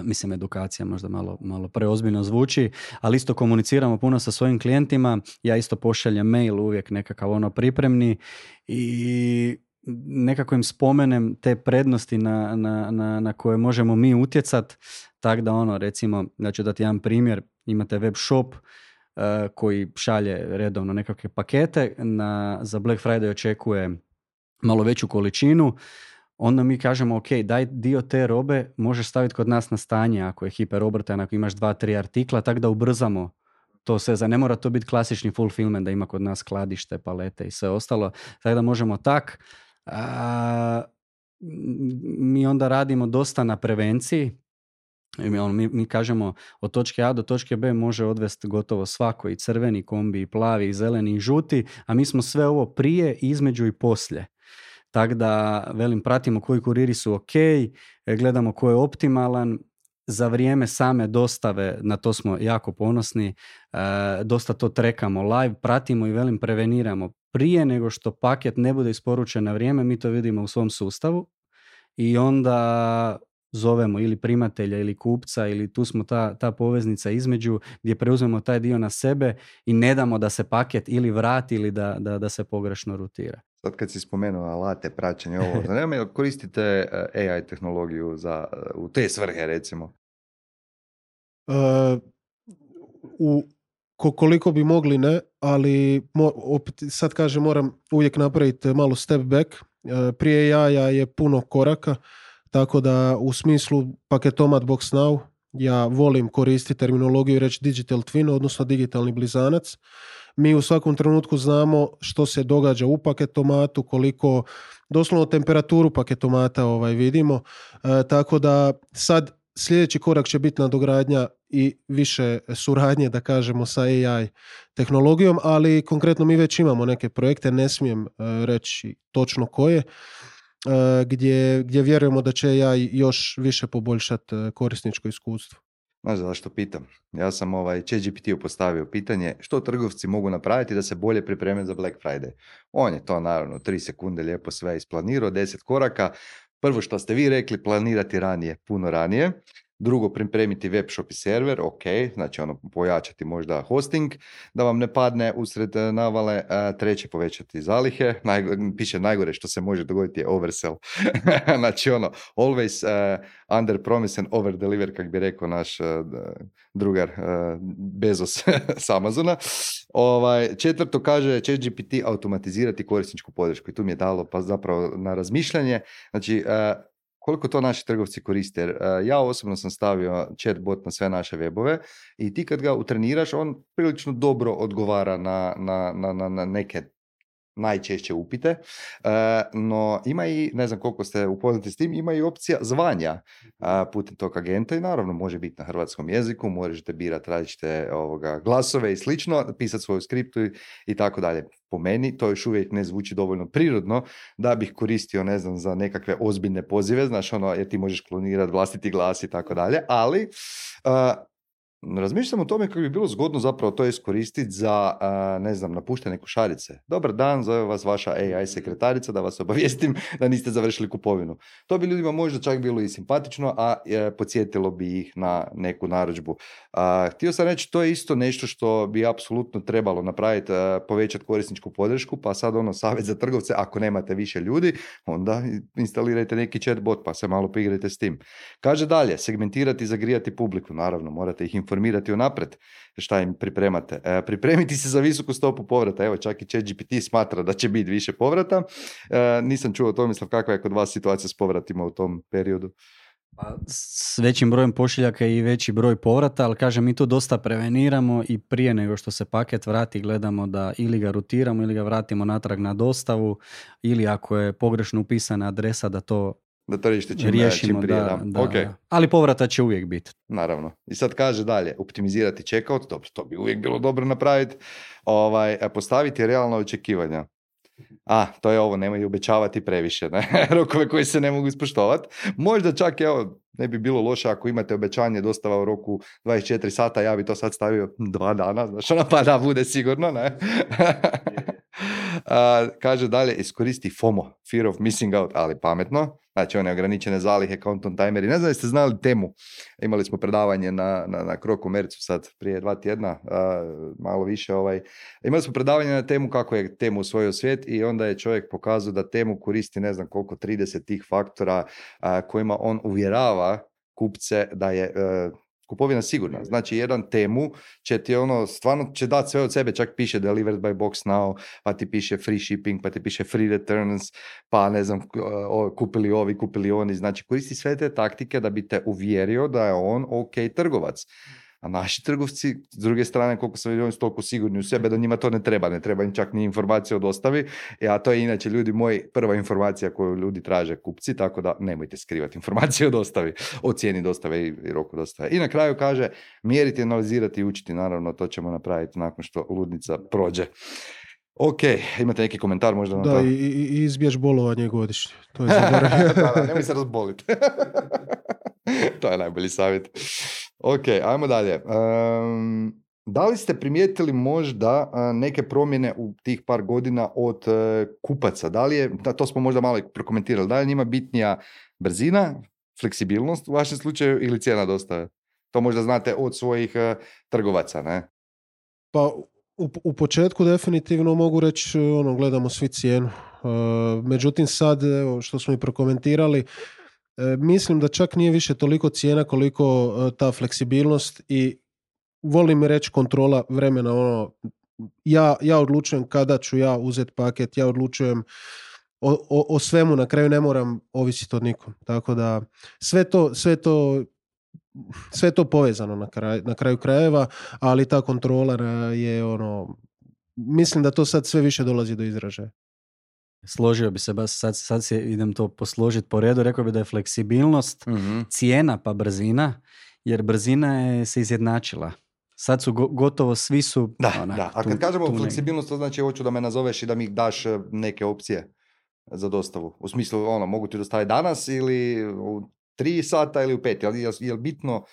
Speaker 3: Mislim, edukacija možda malo preozbiljno zvuči, ali isto komuniciramo puno sa svojim klijentima. Ja isto pošaljem mail uvijek nekakav pripremni i nekako im spomenem te prednosti na koje možemo mi utjecat. Tako da recimo, da ću dati jedan primjer, imate web shop koji šalje redovno nekakve pakete, za Black Friday očekuje malo veću količinu. Onda mi kažemo, ok, daj dio te robe možeš staviti kod nas na stanje ako je hiperobrtan, ako imaš 2-3 artikla, tako da ubrzamo to sve. Ne mora to biti klasični fulfillment da ima kod nas skladište, palete i sve ostalo. Tako da možemo tak. Mi onda radimo dosta na prevenciji. Mi kažemo od točke A do točke B može odvesti gotovo svako, i crveni kombi, i plavi, i zeleni, i žuti, a mi smo sve ovo prije, između i poslije. Tako da, pratimo koji kuriri su ok, gledamo ko je optimalan, za vrijeme same dostave, na to smo jako ponosni, dosta to trekamo live, pratimo i preveniramo. Prije nego što paket ne bude isporučen na vrijeme, mi to vidimo u svom sustavu i onda zovemo ili primatelja ili kupca, ili tu smo ta poveznica između gdje preuzmemo taj dio na sebe i ne damo da se paket ili vrati ili da se pogrešno rutira.
Speaker 1: Sad kad si spomenuo alate, praćenje ovo, zanima me, koristite AI tehnologiju u te svrhe recimo?
Speaker 2: Koliko bi mogli ne, ali opet sad kažem moram uvijek napraviti malo step back. Prije AI-a je puno koraka, tako da u smislu paketomat Box Now ja volim koristiti terminologiju i reći digital twin, odnosno digitalni blizanac. Mi u svakom trenutku znamo što se događa u paketomatu, koliko doslovno temperaturu paketomata vidimo, tako da sad sljedeći korak će biti nadogradnja i više suradnje, da kažemo, sa AI tehnologijom, ali konkretno mi već imamo neke projekte, ne smijem reći točno koje, gdje vjerujemo da će AI još više poboljšati korisničko iskustvo.
Speaker 1: Znaš zašto pitam? Ja sam ChatGPT-u postavio pitanje što trgovci mogu napraviti da se bolje pripreme za Black Friday. On je to naravno 3 sekunde lijepo sve isplanirao, 10 koraka. Prvo što ste vi rekli, planirati ranije, puno ranije. Drugo, pripremiti web shop i server, ok, znači pojačati možda hosting, da vam ne padne usred navale. Treće, povećati zalihe. Piše najgore što se može dogoditi je oversell. Znači always under promise and over deliver, kak bi rekao naš drugar Bezos s Amazona. Četvrto, kaže ChatGPT automatizirati korisničku podršku i tu mi je dalo pa zapravo na razmišljanje. Znači, koliko to naši trgovci koriste. Jer ja osobno sam stavio chatbot na sve naše webove i ti kad ga utreniraš, on prilično dobro odgovara na neke najčešće upite, no ima i, ne znam koliko ste upoznati s tim, ima i opcija zvanja putem tog agenta i naravno može biti na hrvatskom jeziku, možete birati različite glasove i slično, pisati svoju skriptu i tako dalje. Po meni to još uvijek ne zvuči dovoljno prirodno da bih koristio, ne znam, za nekakve ozbiljne pozive, znaš, jer ti možeš klonirati vlastiti glas i tako dalje, ali razmišljam o tome kako bi bilo zgodno zapravo to iskoristiti za, ne znam, napuštanje košarice. Dobar dan, zove vas vaša AI sekretarica da vas obavijestim da niste završili kupovinu. To bi ljudima možda čak bilo i simpatično, a podsjetilo bi ih na neku narudžbu. Htio sam reći, to je isto nešto što bi apsolutno trebalo napraviti, povećati korisničku podršku, pa sad savjet za trgovce, ako nemate više ljudi, onda instalirajte neki chatbot pa se malo poigrajte s tim. Kaže dalje, segmentirati i zagrijati publiku, naravno, morate ih informirati informirati unaprijed šta im pripremate. Pripremiti se za visoku stopu povrata. Evo, čak i ChatGPT smatra da će biti više povrata. Nisam čuo to, mislim, kakva je kod vas situacija s povratima u tom periodu.
Speaker 3: Pa, s većim brojem pošiljaka i veći broj povrata, ali kažem, mi tu dosta preveniramo i prije nego što se paket vrati gledamo da ili ga rutiramo ili ga vratimo natrag na dostavu, ili ako je pogrešno upisana adresa da to riješimo.
Speaker 1: Čim prije, da. Okay.
Speaker 3: Ali povrata će uvijek biti.
Speaker 1: Naravno. I sad kaže dalje, optimizirati checkout, dobro, to bi uvijek bilo dobro napraviti, postaviti realna očekivanja. To je ovo, nemoj obećavati previše, ne? Rokove koji se ne mogu ispoštovati. Možda čak, evo, ne bi bilo loše ako imate obećanje dostava u roku 24 sata, ja bi to sad stavio 2 dana, znaš, pa da bude sigurno, ne? Kaže dalje, iskoristi FOMO, Fear of Missing Out, ali pametno. Znači, one ograničene zalihe, countdown timeri. Ne znam da ste znali temu. Imali smo predavanje na Krokomercu sad prije 2 tjedna, malo više. Imali smo predavanje na temu kako je temu usvojio svijet i onda je čovjek pokazao da temu koristi ne znam koliko, 30 tih faktora kojima on uvjerava kupce da je kupovina sigurna. Znači, jedan temu će ti stvarno će dati sve od sebe, čak piše delivered by box now, pa ti piše free shipping, pa ti piše free returns, pa ne znam, kupili ovi, kupili oni. Znači, koristi sve te taktike da bi te uvjerio da je on ok trgovac. A naši trgovci, s druge strane, koliko sam vidio, oni su toliko sigurni u sebe da njima to ne treba im čak ni informacija o dostavi, a to je inače, ljudi moji, prva informacija koju ljudi traže kupci, tako da nemojte skrivati informacije o dostavi, o cijeni dostave i roku dostave. I na kraju kaže, mjeriti, analizirati i učiti, naravno, to ćemo napraviti nakon što ludnica prođe. Ok, imate neki komentar možda na to?
Speaker 2: Da, i izbjeć bolovanje godišnje. To je zaboravio.
Speaker 1: Da, nemoj se razboliti. To je najbolji savjet. Ok, ajmo dalje. Da li ste primijetili možda neke promjene u tih par godina od kupaca? Da li je, to smo možda malo prokomentirali, da li je njima bitnija brzina, fleksibilnost u vašem slučaju ili cijena dostave? To možda znate od svojih trgovaca, ne?
Speaker 2: Pa u početku definitivno mogu reći, gledamo svi cijenu. Međutim sad, što smo i prokomentirali, mislim da čak nije više toliko cijena koliko ta fleksibilnost i volim reći kontrola vremena. Ja odlučujem kada ću ja uzeti paket, ja odlučujem o svemu, na kraju ne moram ovisiti od nikom. Tako da sve je to povezano na kraju krajeva, ali ta kontrola je mislim da to sad sve više dolazi do izražaja.
Speaker 3: Složio bi se, sad idem to posložiti po redu, rekao bi da je fleksibilnost, cijena pa brzina, jer brzina je se izjednačila. Sad su gotovo svi su...
Speaker 1: Da. A kad kažemo fleksibilnost, to znači hoću da me nazoveš i da mi daš neke opcije za dostavu. U smislu, mogu ti dostaviti danas ili u 3 sata ili u 5. Jel bitno,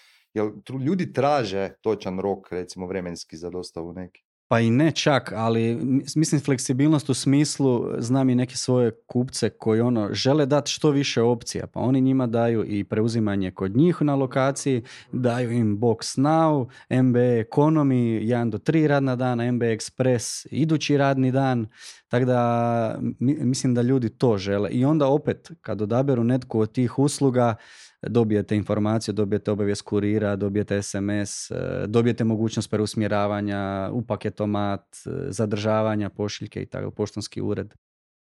Speaker 1: ljudi traže točan rok, recimo vremenski za dostavu neki?
Speaker 3: Pa i ne čak, ali mislim fleksibilnost u smislu, znam i neke svoje kupce koji žele dati što više opcija, pa oni njima daju i preuzimanje kod njih na lokaciji, daju im Box Now, MB Economy 1 do 3 radna dana, MB Express idući radni dan, tako da mislim da ljudi to žele. I onda opet, kad odaberu netko od tih usluga, dobijete informaciju, dobijete obavijest kurira, dobijete SMS, dobijete mogućnost preusmjeravanja u paketomat, zadržavanja pošiljke i tako, poštanski ured.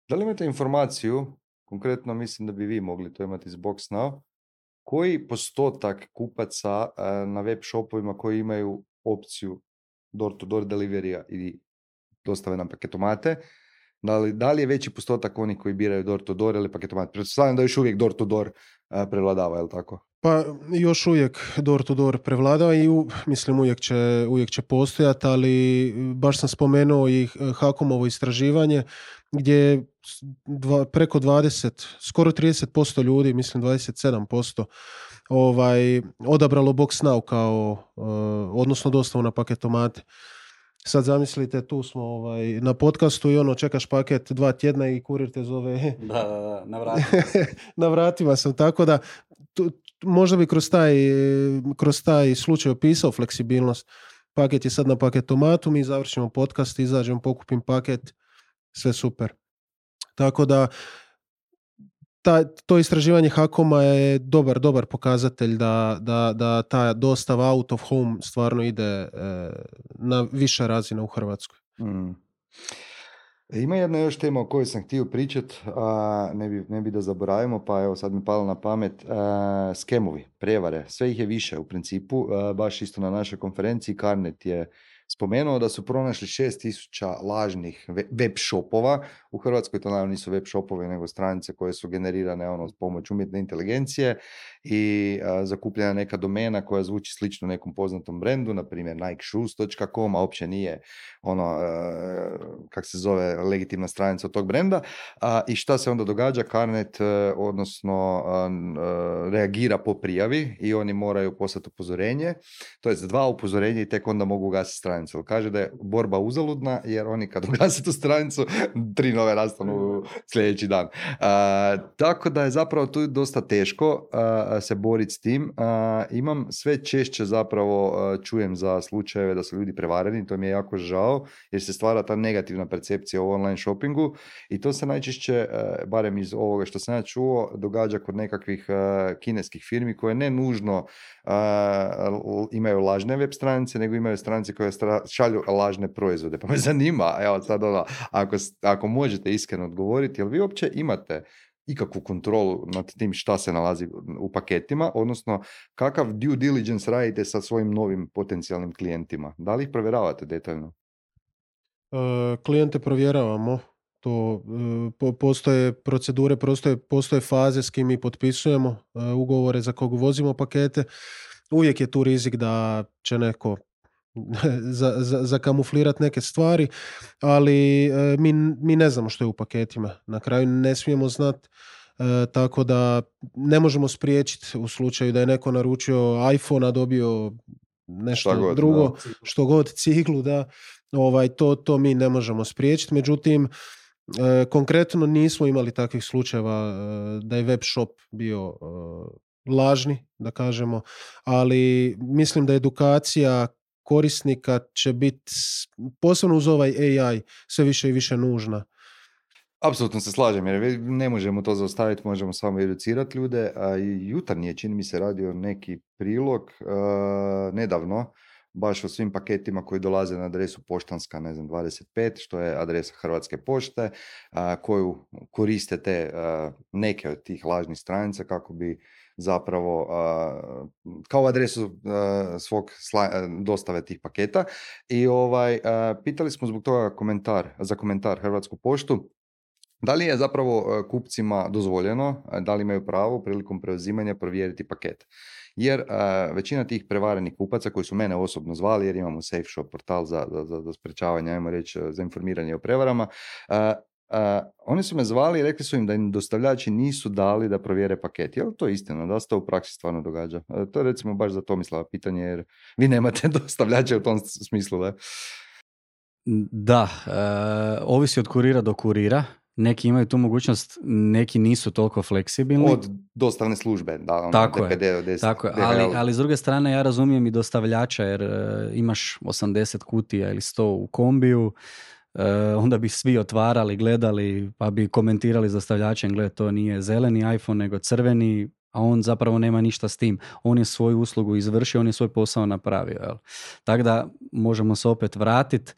Speaker 1: Da li imate informaciju, konkretno mislim da bi vi mogli to imati iz Box Now, koji postotak kupaca na web shopovima koji imaju opciju door-to-door deliverija i dostave na paketomate, da li je veći postotak oni koji biraju door-to-door ili paketomat? Pretpostavljam da još uvijek door-to-door prevladava, je li tako?
Speaker 2: Pa još uvijek door-to-door prevladava i mislim uvijek će postojati, ali baš sam spomenuo i HAKOM-ovo istraživanje gdje preko 20, skoro 30% ljudi, mislim 27%, odabralo Box Now kao, odnosno dostavu na paketomate. Sad zamislite, tu smo na podcastu i čekaš paket 2 tjedna i kurir te zove.
Speaker 3: Da, na vratima.
Speaker 2: Na vratima sam, tako da možda bi kroz taj slučaj opisao fleksibilnost. Paket je sad na paketomatu, mi završimo podcast, izađem, pokupim paket, sve super. Tako da to istraživanje HAKOM-a je dobar pokazatelj da ta dostava out of home stvarno ide na viša razina u Hrvatskoj.
Speaker 1: Ima jedna još tema o kojoj sam htio pričati, ne bi da zaboravimo, pa evo sad mi palo na pamet, skemovi, prevare, sve ih je više u principu, baš isto na našoj konferenciji Carnet je spomenuo da su pronašli 6.000 lažnih web shopova. U Hrvatskoj to naravno nisu web shopovi, nego stranice koje su generirane s pomoć umjetne inteligencije i zakupljena neka domena koja zvuči slično nekom poznatom brendu, na primjer nikeshoes.com, a uopće nije kak se zove, legitimna stranica od tog brenda. I šta se onda događa? Carnet odnosno reagira po prijavi i oni moraju poslati upozorenje, to je za 2 upozorenja i tek onda mogu ugasiti stranicu. Kaže da je borba uzaludna jer oni kad ugase tu stranicu 3 nove nastanu sljedeći dan. Tako da je zapravo tu dosta teško se boriti s tim. Imam sve češće zapravo čujem za slučajeve da su ljudi prevareni, to mi je jako žao jer se stvara ta negativna percepcija o online shoppingu i to se najčešće, barem iz ovoga što sam ja čuo, događa kod nekakvih kineskih firmi koje ne nužno imaju lažne web stranice, nego imaju stranice koje šalju lažne proizvode. Pa me zanima, evo sad ako možete iskreno odgovoriti, jel vi uopće imate ikakvu kontrolu nad tim šta se nalazi u paketima, odnosno kakav due diligence radite sa svojim novim potencijalnim klijentima? Da li ih provjeravate detaljno?
Speaker 2: Klijente provjeravamo. To postoje procedure, postoje faze s kim mi potpisujemo ugovore za kog vozimo pakete. Uvijek je tu rizik da će neko zakamuflirati neke stvari, ali mi ne znamo što je u paketima. Na kraju ne smijemo znati, tako da ne možemo spriječiti u slučaju da je neko naručio iPhone, a dobio nešto drugo, što god, ciglu, da. To mi ne možemo spriječiti. Međutim, konkretno nismo imali takvih slučajeva da je web shop bio lažni, da kažemo, ali mislim da edukacija korisnika će biti, posebno uz ovaj AI, sve više i više nužna.
Speaker 1: Apsolutno se slažem, jer ne možemo to zaustaviti, možemo samo educirati ljude, a i jutarnje, čini mi se, radio neki prilog nedavno, baš o svim paketima koji dolaze na adresu poštanska, 25, što je adresa Hrvatske pošte, koju koriste te neke od tih lažnih stranica kako bi zapravo kao adresu svog dostave tih paketa. I pitali smo zbog toga za komentar Hrvatsku poštu, da li je zapravo kupcima dozvoljeno, da li imaju pravo prilikom preuzimanja provjeriti paket. Jer većina tih prevarenih kupaca koji su mene osobno zvali, jer imamo Safe Shop portal za sprečavanje, ajmo reći, za informiranje o prevarama, oni su me zvali i rekli su im da im dostavljači nisu dali da provjere paket. Je li to istina? Da se to u praksi stvarno događa? To je recimo baš za Tomislava pitanje, jer vi nemate dostavljače u tom smislu, da?
Speaker 3: Da, ovisi od kurira do kurira. Neki imaju tu mogućnost, neki nisu toliko fleksibilni.
Speaker 1: Od dostavne službe, da.
Speaker 3: Tako je, ali s druge strane ja razumijem i dostavljača, jer imaš 80 kutija ili 100 u kombiju, onda bi svi otvarali, gledali, pa bi komentirali s dostavljačem, gled, to nije zeleni iPhone, nego crveni, a on zapravo nema ništa s tim. On je svoju uslugu izvršio, on je svoj posao napravio. Jel? Tako da možemo se opet vratiti,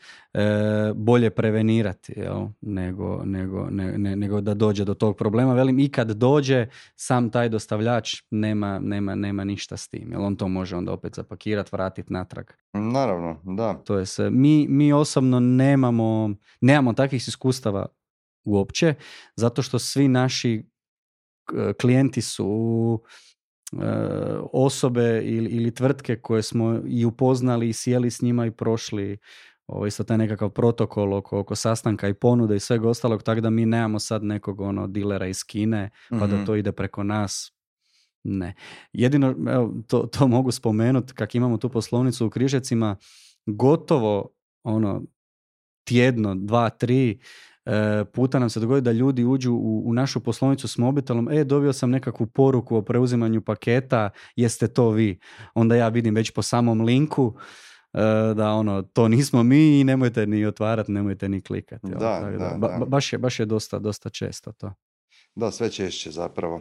Speaker 3: bolje prevenirati, jel? Nego da dođe do tog problema. Velim, i kad dođe, sam taj dostavljač nema ništa s tim. Jel? On to može onda opet zapakirati, vratiti natrag.
Speaker 1: Naravno, da.
Speaker 3: To je se. Mi osobno nemamo takvih iskustava uopće, zato što svi naši klijenti su osobe ili tvrtke koje smo i upoznali i sjeli s njima i prošli isto taj nekakav protokol oko sastanka i ponude i svega ostalog, tako da mi nemamo sad nekog dilera iz Kine pa da to ide preko nas. Ne. Jedino, evo, to mogu spomenuti, kak imamo tu poslovnicu u Križevcima, gotovo tjedno, 2, 3 puta nam se dogodi da ljudi uđu u našu poslovnicu s mobitelom, dobio sam nekakvu poruku o preuzimanju paketa, jeste to vi? Onda ja vidim već po samom linku da to nismo mi i nemojte ni otvarati, nemojte ni klikati.
Speaker 1: Da.
Speaker 3: Baš je dosta često to.
Speaker 1: Da, sve češće zapravo.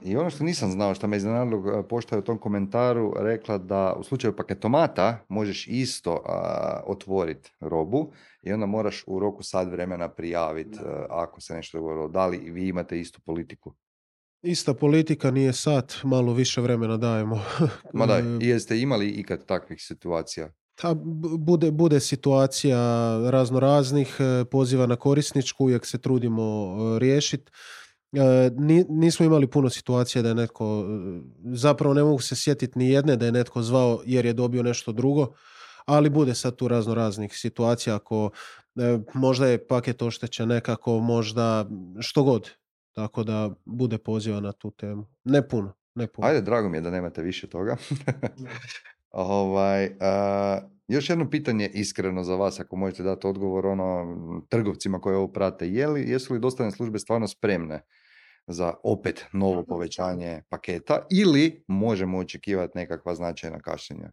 Speaker 1: I ono što nisam znao, što me iznenadilo, pošta je u tom komentaru rekla da u slučaju paketomata možeš isto otvoriti robu i onda moraš u roku sat vremena prijaviti ako se nešto dogodilo. Da li vi imate istu politiku?
Speaker 2: Ista politika, nije sat, malo više vremena dajemo.
Speaker 1: Ma daj, jeste imali ikad takvih situacija?
Speaker 2: Bude situacija razno raznih, poziva na korisničku, uvijek se trudimo riješiti. Nismo imali puno situacija da je netko, zapravo ne mogu se sjetiti ni jedne da je netko zvao jer je dobio nešto drugo, ali bude sad tu razno raznih situacija ako možda je paket oštećen nekako, možda što god. Tako da bude poziva na tu temu. Ne puno.
Speaker 1: Ajde, drago mi je da nemate više toga. Još jedno pitanje iskreno za vas, ako možete dati odgovor trgovcima koji ovo prate. Jesu li dostavne službe stvarno spremne za opet novo povećanje paketa ili možemo očekivati nekakva značajna kašnjenja?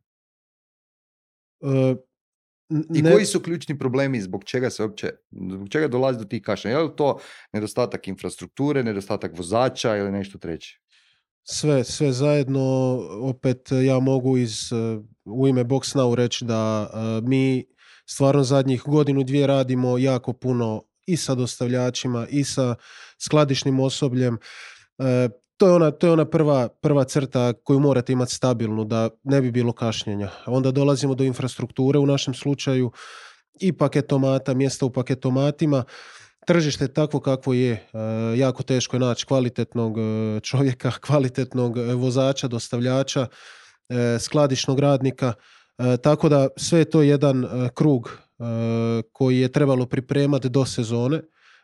Speaker 1: I koji su ključni problemi zbog čega dolazi do tih kašnjenja? Je li to nedostatak infrastrukture, nedostatak vozača ili nešto treće?
Speaker 2: Sve zajedno, opet ja mogu u ime BoxNow reći da mi stvarno zadnjih godinu, dvije radimo jako puno i sa dostavljačima i sa skladišnim osobljem. To je ona prva crta koju morate imati stabilnu da ne bi bilo kašnjenja. Onda dolazimo do infrastrukture u našem slučaju i paketomata, mjesta u paketomatima. Tržište je takvo kakvo je. Jako teško je naći kvalitetnog čovjeka, kvalitetnog vozača, dostavljača, skladišnog radnika. Tako da sve je to jedan krug koji je trebalo pripremati do sezone.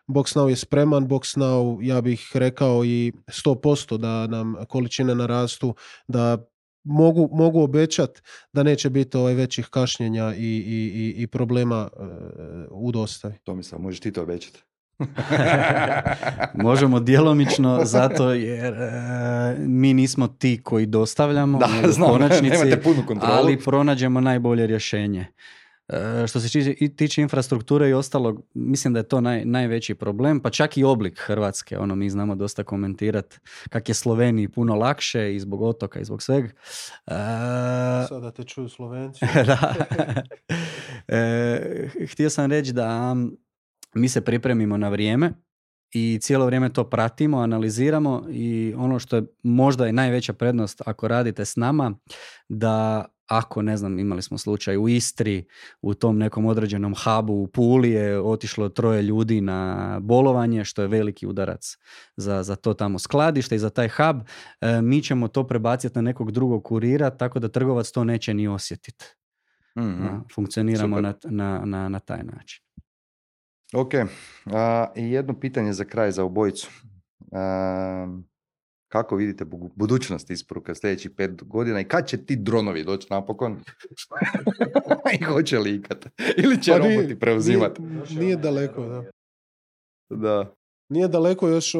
Speaker 2: BoxNow je spreman, BoxNow, ja bih rekao i 100% da nam količine narastu, da mogu obećati da neće biti većih kašnjenja i problema u dostavi.
Speaker 1: Tomislav, možeš ti to obećati?
Speaker 3: Možemo djelomično, zato jer mi nismo ti koji dostavljamo u konačnici, ali pronađemo najbolje rješenje. Što se tiče infrastrukture i ostalog, mislim da je to najveći problem, pa čak i oblik Hrvatske. Mi znamo dosta komentirati kak je Sloveniji puno lakše i zbog otoka i zbog svega.
Speaker 2: Sada te čuju Slovenci.
Speaker 3: Htio sam reći da mi se pripremimo na vrijeme i cijelo vrijeme to pratimo, analiziramo i ono što je možda je najveća prednost ako radite s nama, da ako, ne znam, imali smo slučaj u Istri, u tom nekom određenom hubu u Puli je otišlo 3 ljudi na bolovanje, što je veliki udarac za to tamo skladište i za taj hub, mi ćemo to prebaciti na nekog drugog kurira, tako da trgovac to neće ni osjetiti. Funkcioniramo na taj način.
Speaker 1: Ok, i jedno pitanje za kraj za obojicu. Kako vidite budućnost isporuka sljedećih 5 godina i kad će ti dronovi doći napokon? I hoće li ikad? Ili će roboti preuzimati?
Speaker 2: Nije daleko,
Speaker 1: da.
Speaker 2: Nije daleko, još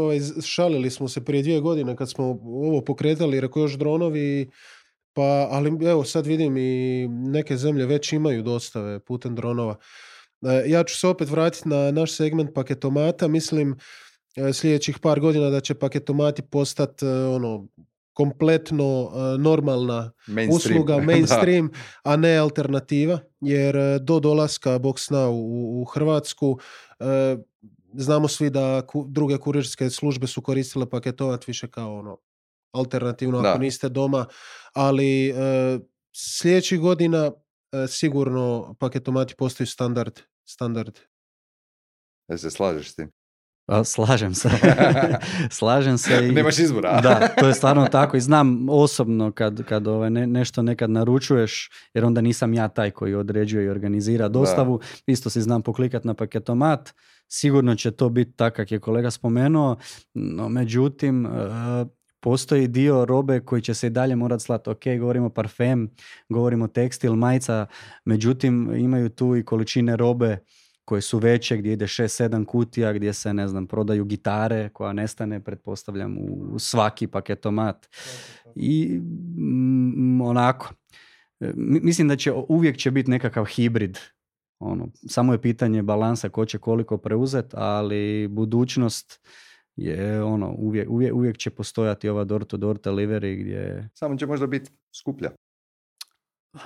Speaker 2: šalili smo se prije 2 godine kad smo ovo pokretali, rekao još dronovi, ali evo sad vidim i neke zemlje već imaju dostave putem dronova. Ja ću se opet vratiti na naš segment paketomata. Mislim sljedećih par godina da će paketomati postati kompletno normalna usluga, mainstream, a ne alternativa, jer do dolaska BoxNow u Hrvatsku znamo svi da druge kurirske službe su koristile paketomat više kao alternativno ako niste doma, ali sljedećih godina sigurno paketomati postaju standard.
Speaker 1: Da se slažeš s tim?
Speaker 3: Slažem se. Slažem se.
Speaker 1: Nemaš izbora.
Speaker 3: Da, to je stvarno tako i znam osobno kad nešto nekad naručuješ, jer onda nisam ja taj koji određuje i organizira dostavu, isto si znam poklikati na paketomat, sigurno će to biti tako kak je kolega spomenuo, no međutim postoji dio robe koji će se i dalje morati slati. Ok, govorimo parfem, govorimo tekstil, majica, međutim imaju tu i količine robe koje su veće, gdje ide 6-7 kutija, gdje se, ne znam, prodaju gitare koja nestane, pretpostavljam, u svaki paketomat. I onako, mislim da uvijek će biti nekakav hibrid. Samo je pitanje balansa ko će koliko preuzeti, ali budućnost je ono, uvijek će postojati ova door-to-door delivery gdje...
Speaker 1: Samo će možda biti skuplja.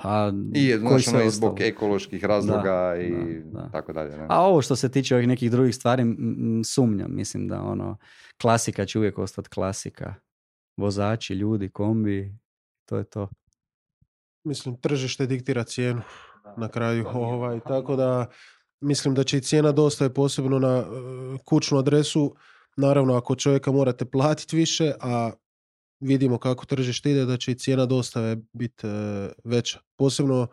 Speaker 3: A,
Speaker 1: I
Speaker 3: koji
Speaker 1: znaš, ono, i zbog
Speaker 3: ostalo?
Speaker 1: ekoloških razloga i
Speaker 3: da.
Speaker 1: tako dalje. Ne?
Speaker 3: A ovo što se tiče ovih nekih drugih stvari, sumnjam. Mislim da ono, klasika će uvijek ostati klasika. Vozači, ljudi, kombi, to je to.
Speaker 2: Mislim, tržište diktira cijenu na kraju. Tako da mislim da će i cijena dostave posebno na kućnu adresu. Naravno, ako čovjeka morate platiti više, a vidimo kako tržište ide, da će i cijena dostave biti veća. Posebno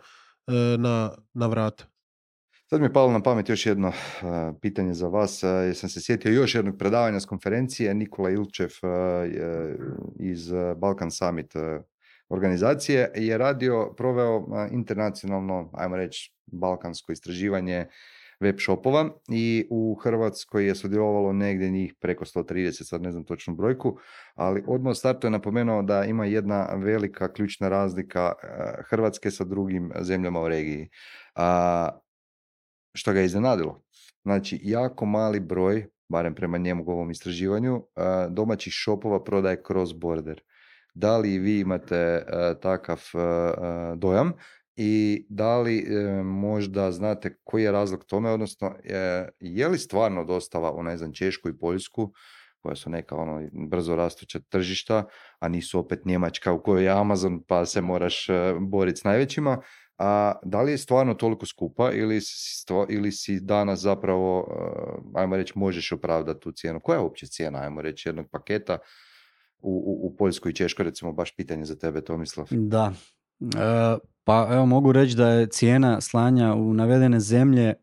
Speaker 2: na vrata.
Speaker 1: Sad mi je palo na pamet još jedno pitanje za vas. Jer sam se sjetio još jednog predavanja s konferencije. Nikola Ilčev iz Balkan Summit organizacije je proveo internacionalno, ajmo reći, balkansko istraživanje web shopova i u Hrvatskoj je sudjelovalo negdje njih preko 130, sad ne znam točnu brojku, ali odmah u startu je napomenuo da ima jedna velika ključna razlika Hrvatske sa drugim zemljama u regiji. Što ga je iznenadilo. Znači, jako mali broj, barem prema njegovom istraživanju, domaćih shopova prodaje cross border. Da li vi imate takav dojam i da li možda znate koji je razlog tome, odnosno je li stvarno dostava u, ne znam, Češku i Poljsku, koja su neka brzo rastuća tržišta, a nisu opet Njemačka u kojoj je Amazon pa se moraš boriti s najvećima, a da li je stvarno toliko skupa ili si danas zapravo, ajmo reći, možeš opravdati tu cijenu? Koja je uopće cijena, ajmo reći, jednog paketa u Poljskoj i Češkoj, recimo, baš pitanje za tebe, Tomislav?
Speaker 3: Da, pa evo mogu reći da je cijena slanja u navedene zemlje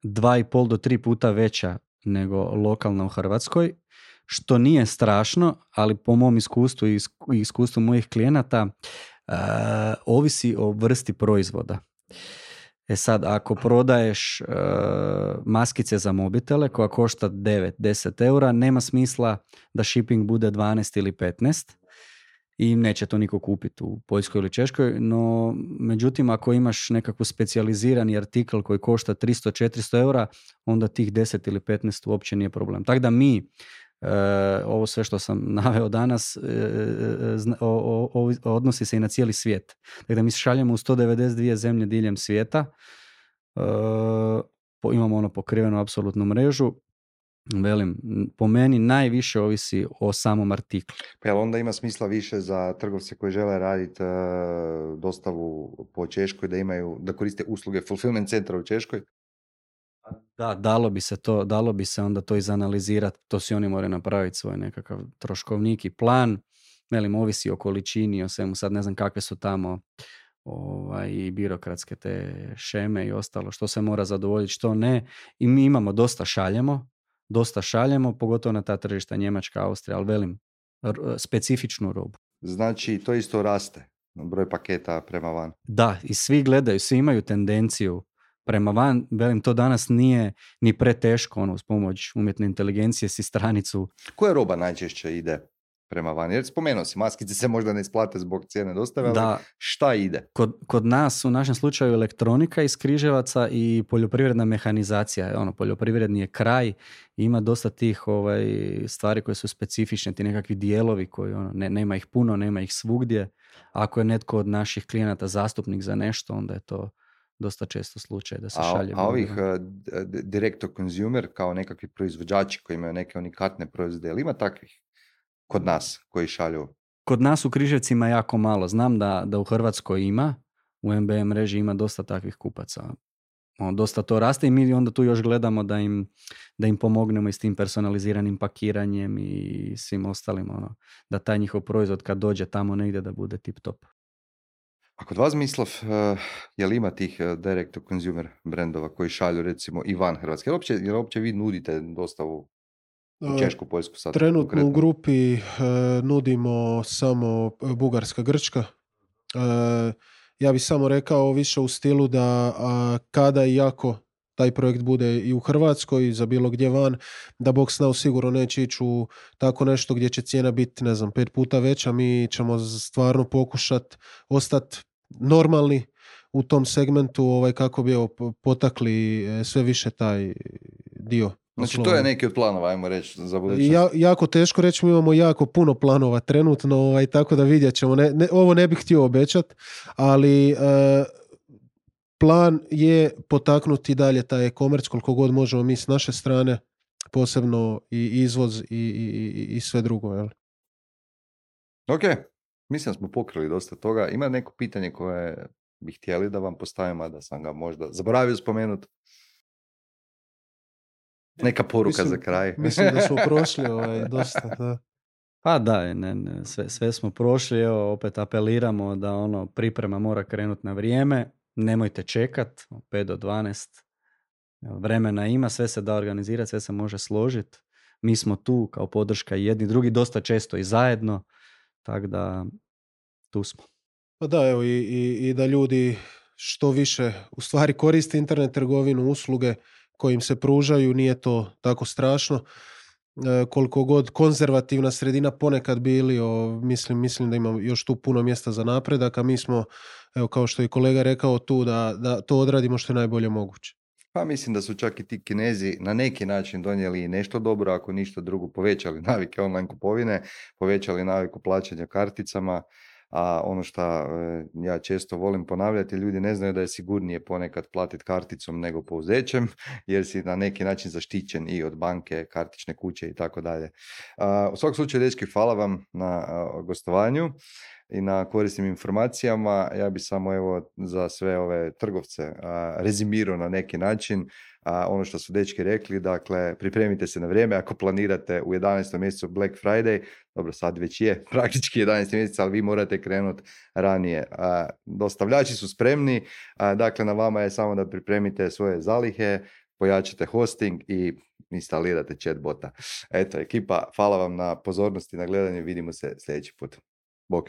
Speaker 3: 2,5 do 3 puta veća nego lokalna u Hrvatskoj, što nije strašno, ali po mom iskustvu i iskustvu mojih klijenata ovisi o vrsti proizvoda. Sad, ako prodaješ maskice za mobitele koja košta 9-10 eura, nema smisla da shipping bude 12 ili 15 i neće to niko kupiti u Poljskoj ili Češkoj, no međutim ako imaš nekakvu specijalizirani artikl koji košta 300-400 eura, onda tih 10 ili 15 uopće nije problem. Tako da mi ovo sve što sam naveo danas odnosi se i na cijeli svijet. Dakle, da mi šaljemo u 192 zemlje diljem svijeta, imamo pokrivenu apsolutnu mrežu. Velim, po meni najviše ovisi o samom artiklu.
Speaker 1: Pa jel onda ima smisla više za trgovce koji žele raditi dostavu po Češkoj, da koriste usluge fulfillment centra u Češkoj?
Speaker 3: Da, dalo bi se onda to izanalizirati, to si oni moraju napraviti svoj nekakav troškovnik i plan, velim, ovisi o količini, o svemu, sad ne znam kakve su tamo i birokratske te šeme i ostalo, što se mora zadovoljiti, što ne, i mi imamo, dosta šaljemo, pogotovo na ta tržišta Njemačka, Austrija, ali velim, specifičnu robu. Znači,
Speaker 1: to isto raste, broj paketa prema van?
Speaker 3: Da, i svi gledaju, svi imaju tendenciju prema van, velim, to danas nije ni preteško, uz pomoć umjetne inteligencije si stranicu.
Speaker 1: Koja roba najčešće ide prema van? Jer spomenuo si, maskice se možda ne isplate zbog cijene dostave, ali šta ide?
Speaker 3: Kod nas, u našem slučaju, elektronika iz Križevaca i poljoprivredna mehanizacija. Poljoprivredni je kraj, ima dosta tih stvari koje su specifične, ti nekakvi dijelovi koji nema ih puno, nema ih svugdje. Ako je netko od naših klijenata zastupnik za nešto, onda je to dosta često slučaj da se šalje.
Speaker 1: A ovih direct to consumer, kao nekakvi proizvođači koji imaju neke unikatne proizvode, ili ima takvih kod nas koji šalju?
Speaker 3: Kod nas u Križevcima jako malo. Znam da u Hrvatskoj ima, u MBM mreži ima dosta takvih kupaca. Dosta to raste i mi onda tu još gledamo da im pomognemo i s tim personaliziranim pakiranjem i svim ostalim, da taj njihov proizvod kad dođe tamo negdje da bude tip top.
Speaker 1: A kod vas, Mislav, je li ima tih direct to consumer brendova koji šalju recimo i van Hrvatske? Jel uopće vi nudite dostavu u Češku, Poljsku sad?
Speaker 2: Trenutno
Speaker 1: konkretno?
Speaker 2: U grupi nudimo samo Bugarska, Grčka. Ja bih samo rekao više u stilu da kada i ako taj projekt bude i u Hrvatskoj, za bilo gdje van, da BoxNow sigurno neće ići u tako nešto gdje će cijena biti, 5 puta veća. Mi ćemo stvarno pokušati ostati normalni u tom segmentu, kako bi potakli sve više taj dio.
Speaker 1: Znači to je neki od planova, ajmo reći, za budućnost.
Speaker 2: Jako teško reći, mi imamo jako puno planova trenutno, tako da vidjet ćemo. Ovo ne bih htio obećati, ali plan je potaknuti dalje taj e-commerce koliko god možemo mi s naše strane, posebno i izvoz i sve drugo. Jel?
Speaker 1: Ok, mislim da smo pokrili dosta toga. Ima neko pitanje koje bi htjeli da vam postavimo, a da sam ga možda zaboravio spomenuti? Neka poruka za kraj.
Speaker 2: Mislim da smo prošli dosta. Da.
Speaker 3: Pa da, sve smo prošli, evo, opet apeliramo da priprema mora krenuti na vrijeme, nemojte čekat, 5 do 12, vremena ima, sve se da organizirati, sve se može složiti, mi smo tu kao podrška jedni drugi, dosta često i zajedno, tako da tu smo.
Speaker 2: Pa da, evo i da ljudi što više u stvari koriste internet trgovinu, usluge koje im se pružaju, nije to tako strašno. Koliko god konzervativna sredina ponekad bili, mislim da ima još tu puno mjesta za napredak, a mi smo, evo, kao što je kolega rekao, tu da to odradimo što je najbolje moguće.
Speaker 1: Pa mislim da su čak i ti Kinezi na neki način donijeli nešto dobro, ako ništa drugo, povećali navike online kupovine, povećali naviku plaćanja karticama, a ono što ja često volim ponavljati, ljudi ne znaju da je sigurnije ponekad platiti karticom nego pouzećem, jer si na neki način zaštićen i od banke, kartične kuće i tako dalje. U svakom slučaju, dečki, hvala vam na gostovanju i na korisnim informacijama. Ja bi samo evo za sve ove trgovce rezimirao na neki način ono što su dečki rekli, dakle pripremite se na vrijeme ako planirate u 11. mjesecu Black Friday, dobro sad već je praktički 11. mjesec, ali vi morate krenuti ranije. Dostavljači su spremni, dakle na vama je samo da pripremite svoje zalihe, pojačate hosting i instalirate chatbota. Eto, ekipa, hvala vam na pozornosti, na gledanje, vidimo se sljedeći put. Bok.